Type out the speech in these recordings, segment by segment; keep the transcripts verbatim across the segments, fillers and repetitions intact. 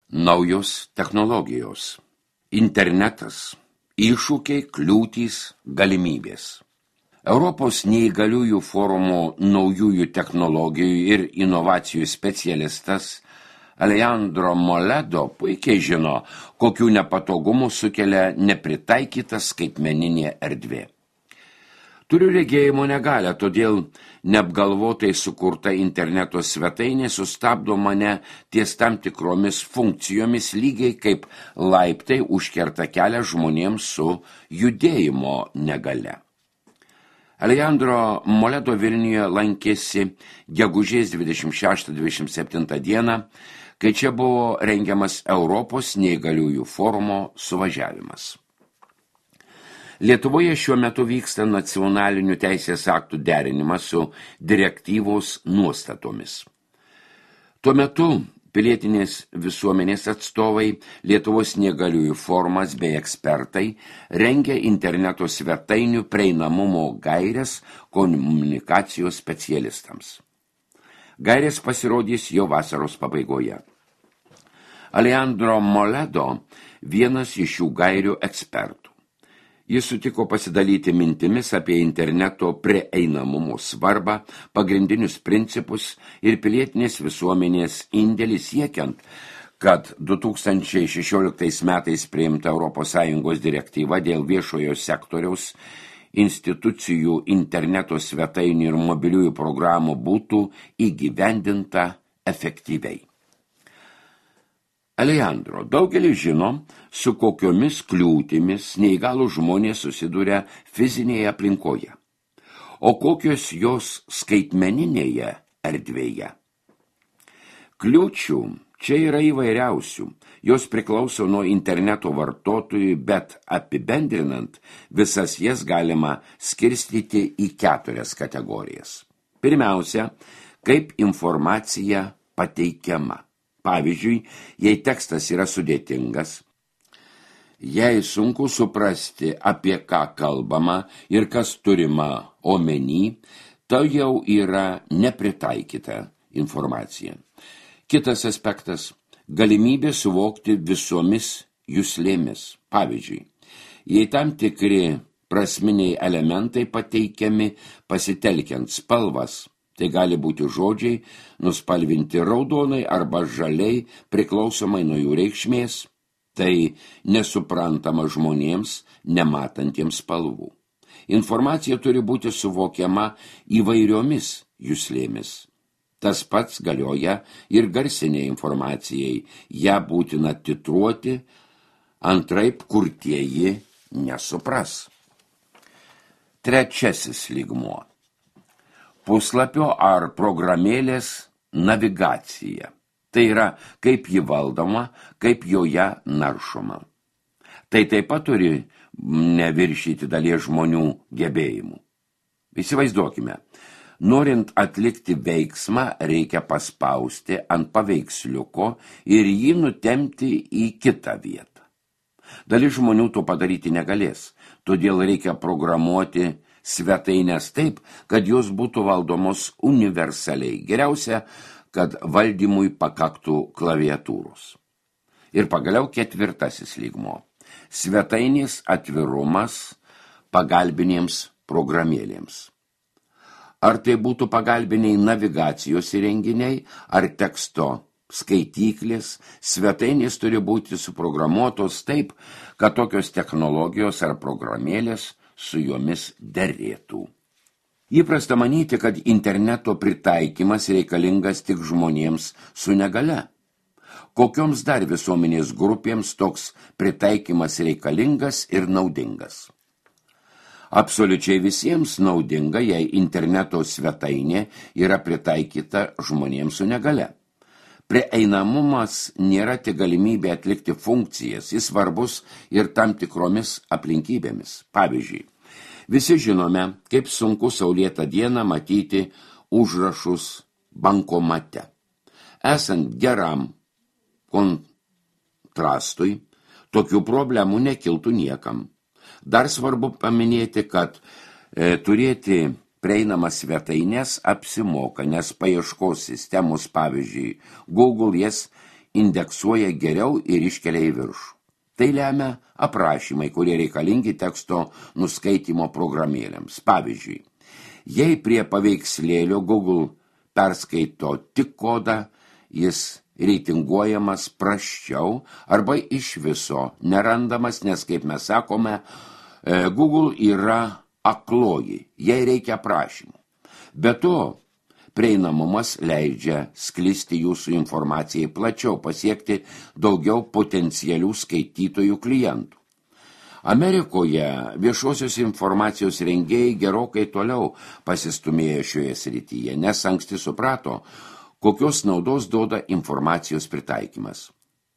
Naujos technologijos. Internetas. Iššūkiai, kliūtys, galimybės. Europos neįgaliųjų forumo naujųjų technologijų ir inovacijų specialistas Alejandro Moledo puikiai žino, kokių nepatogumų sukelia nepritaikyta skaitmeninė erdvė. Turiu regėjimo negalią, todėl neapgalvotai sukurta interneto svetainė sustabdo mane ties tam tikromis funkcijomis lygiai kaip laiptai užkerta kelią žmonėms su judėjimo negalia. Alejandro Moledo Vilniuje lankėsi gegužės dvidešimt šeštą dvidešimt septintą dieną, kai čia buvo rengiamas Europos neįgaliųjų forumo suvažiavimas. Lietuvoje šiuo metu vyksta nacionalinių teisės aktų derinimas su direktyvos nuostatomis. Tuo metu pilietinės visuomenės atstovai, Lietuvos neįgaliųjų forumas bei ekspertai rengia interneto svetainių prieinamumo gaires komunikacijos specialistams. Gairės pasirodys jau vasaros pabaigoje. Alejandro Moledo vienas iš šių gairių ekspertų. Jis sutiko pasidalyti mintimis apie interneto prieinamumo svarbą, pagrindinius principus ir pilietinės visuomenės indėlį siekiant, kad du tūkstančiai šešioliktais metais priimta Europos Sąjungos direktyva dėl viešojo sektoriaus institucijų interneto svetainių ir mobiliųjų programų būtų įgyvendinta efektyviai. Alejandro, daugelis žino, su kokiomis kliūtimis neįgalūs žmonės susiduria fizinėje aplinkoje, o kokios jos skaitmeninėje erdvėje. Kliūčių čia yra įvairiausių, jos priklauso nuo interneto vartotojų, bet apibendrinant, visas jas galima skirstyti į keturias kategorijas. Pirmiausia, kaip informacija pateikiama. Pavyzdžiui, jei tekstas yra sudėtingas, jei sunku suprasti, apie ką kalbama ir kas turima omeny, tai jau yra nepritaikyta informacija. Kitas aspektas – galimybė suvokti visomis juslėmis. Pavyzdžiui, jei tam tikri prasminiai elementai pateikiami pasitelkiant spalvas, tai gali būti žodžiai nuspalvinti raudonai arba žaliai priklausomai nuo jų reikšmės, tai nesuprantama žmonėms, nematantiems spalvų. Informacija turi būti suvokiama įvairiomis juslėmis. Tas pats galioja ir garsiniai informacijai, ją būtina titruoti, antraip kurtieji nesupras. Trečiasis lygmuo. Puslapio ar programėlės navigacija. Tai yra, kaip ji valdoma, kaip joje naršoma. Tai taip pat turi neviršyti dalies žmonių gebėjimų. Įsivaizduokime, norint atlikti veiksmą, reikia paspausti ant paveiksliuko ir jį nutempti į kitą vietą. Dalis žmonių to padaryti negalės, todėl reikia programuoti svetainės taip, kad jos būtų valdomos universaliai. Geriausia, kad valdymui pakaktų klaviatūros. Ir pagaliau ketvirtasis lygmuo. Svetainės atvirumas pagalbinėms programėlėms. Ar tai būtų pagalbiniai navigacijos įrenginiai, ar teksto skaityklės, svetainės turi būti suprogramuotos taip, kad tokios technologijos ar programėlės su jomis derėtų. Įprasta manyti, kad interneto pritaikymas reikalingas tik žmonėms su negalia. Kokioms dar visuomenės grupėms toks pritaikymas reikalingas ir naudingas? Absoliučiai visiems naudinga, jei interneto svetainė yra pritaikyta žmonėms su negalia. Prieinamumas nėra tik galimybė atlikti funkcijas, jis svarbus ir tam tikromis aplinkybėmis. Pavyzdžiui, visi žinome, kaip sunku saulėtą dieną matyti užrašus bankomate. Esant geram kontrastui, tokių problemų nekiltų niekam. Dar svarbu paminėti, kad e, turėti prieinamas svetainės apsimoka, nes paieškos sistemos, pavyzdžiui, Google jas indeksuoja geriau ir iškelia į viršų. Tai lemia aprašymai, kurie reikalingi teksto nuskaitymo programėlėms. Pavyzdžiui, jei prie paveikslėlio Google perskaito tik kodą, jis reitinguojamas prasčiau arba iš viso nerandamas, nes, kaip mes sakome, Google yra akloji, jai reikia aprašymų. Be to, prieinamumas leidžia sklisti jūsų informacijai plačiau, pasiekti daugiau potencialių skaitytojų klientų. Amerikoje viešosios informacijos rengėjai gerokai toliau pasistumėjo šioje srityje, nes anksti suprato, kokios naudos duoda informacijos pritaikymas.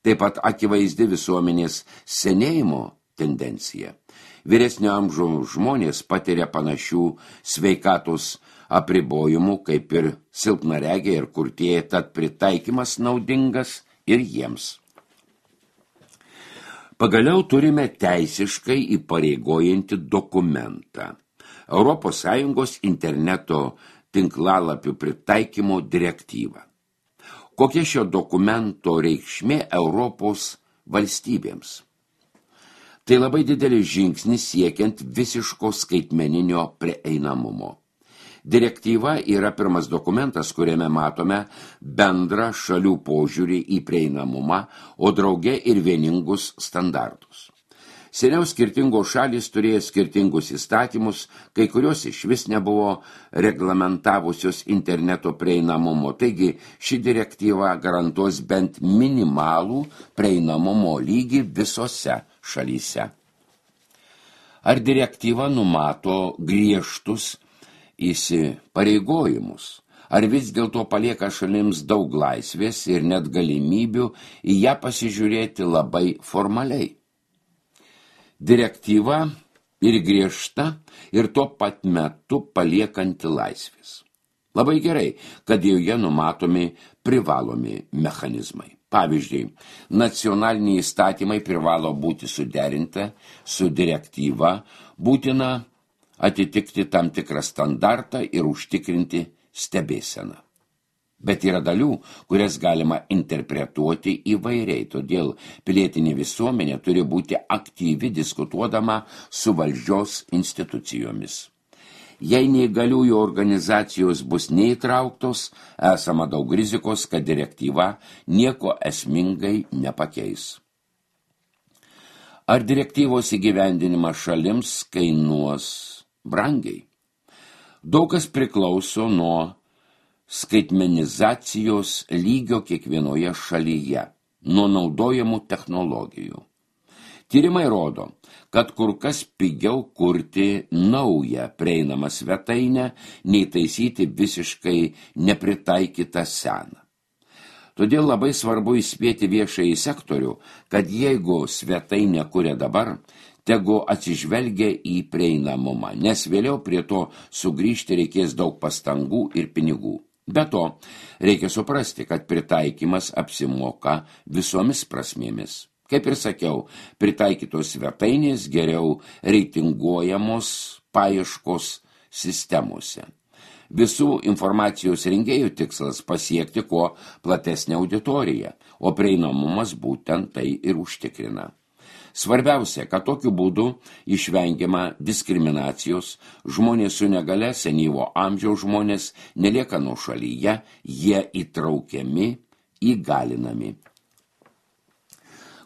Taip pat akivaizdi visuomenės senėjimo tendencija. Vyresnio amžiaus žmonės patiria panašių sveikatos apribojimų, kaip ir silpnaregiai ir kurtieji, tad pritaikymas naudingas ir jiems. Pagaliau turime teisiškai įpareigojantį dokumentą – Europos Sąjungos interneto tinklalapių pritaikymo direktyvą. Kokia šio dokumento reikšmė Europos valstybėms? Tai labai didelis žingsnis siekiant visiško skaitmeninio prieinamumo. Direktyva yra pirmas dokumentas, kuriame matome bendrą šalių požiūrį į prieinamumą, o drauge ir vieningus standartus. Seniau skirtingos šalys turėjo skirtingus įstatymus, kai kurios iš vis nebuvo reglamentavusios interneto prieinamumo, taigi ši direktyva garantuos bent minimalų prieinamumo lygį visose šalyse. Ar direktyva numato griežtus įsipareigojimus, ar vis dėlto palieka šalims daug laisvės ir net galimybių į ją pasižiūrėti labai formaliai? Direktyva ir griežta ir tuo pat metu paliekanti laisvės. Labai gerai, kad joje numatomi privalomi mechanizmai. Pavyzdžiui, nacionaliniai įstatymai privalo būti suderinti su direktyva, būtina atitikti tam tikrą standartą ir užtikrinti stebėseną. Bet yra dalių, kurias galima interpretuoti įvairiai, todėl pilietinė visuomenė turi būti aktyvi diskutuodama su valdžios institucijomis. Jei neįgaliųjų organizacijos bus neįtrauktos, esama daug rizikos, kad direktyva nieko esmingai nepakeis. Ar direktyvos įgyvendinimas šalims kainuos brangiai? Daug kas priklauso nuo skaitmenizacijos lygio kiekvienoje šalyje, nuo naudojamų technologijų. Tyrimai rodo, kad kur kas pigiau kurti naują prieinamą svetainę, nei taisyti visiškai nepritaikytą seną. Todėl labai svarbu įspėti viešąjį sektorių, kad jeigu svetainę kuria dabar, tegu atsižvelgia į prieinamumą, nes vėliau prie to sugrįžti reikės daug pastangų ir pinigų. Be to, reikia suprasti, kad pritaikymas apsimoka visomis prasmėmis. Kaip ir sakiau, pritaikytos svetainės geriau reitinguojamos paieškos sistemose. Visų informacijos rengėjų tikslas pasiekti kuo platesnę auditoriją, o prieinamumas būtent tai ir užtikrina. Svarbiausia, kad tokiu būdu išvengiama diskriminacijos, žmonės su negale, senyvo amžiaus žmonės nelieka nuošalyje, jie įtraukiami, įgalinami.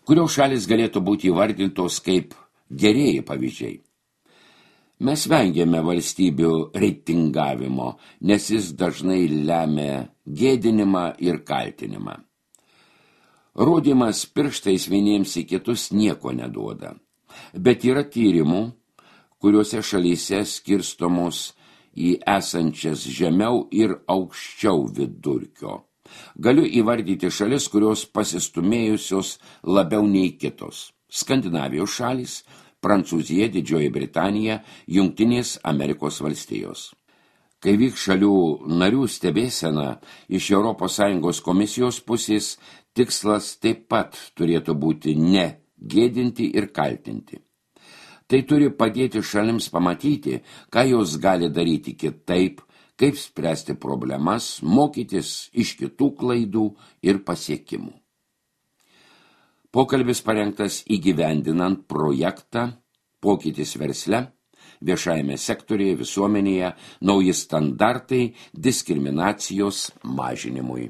Kurios šalis galėtų būti įvardintos kaip gerieji pavyzdžiai? Mes vengiame valstybių reitingavimo, nes jis dažnai lemia gėdinimą ir kaltinimą. Rodymas pirštais vieniems į kitus nieko neduoda, bet yra tyrimų, kuriuose šalyse skirstomos į esančias žemiau ir aukščiau vidurkio. Galiu įvardyti šalis, kurios pasistumėjusios labiau nei kitos. Skandinavijos šalys, Prancūzija, Didžioji Britanija, Jungtinės Amerikos valstijos. Kai vyks šalių narių stebėsena iš Europos Sąjungos komisijos pusės, tikslas taip pat turėtų būti ne gėdinti ir kaltinti. Tai turi padėti šalims pamatyti, ką jos gali daryti kitaip, kaip spręsti problemas, mokytis iš kitų klaidų ir pasiekimų. Pokalbis parengtas įgyvendinant projektą Pokytis versle, viešajame sektorėje, visuomenėje, nauji standartai diskriminacijos mažinimui.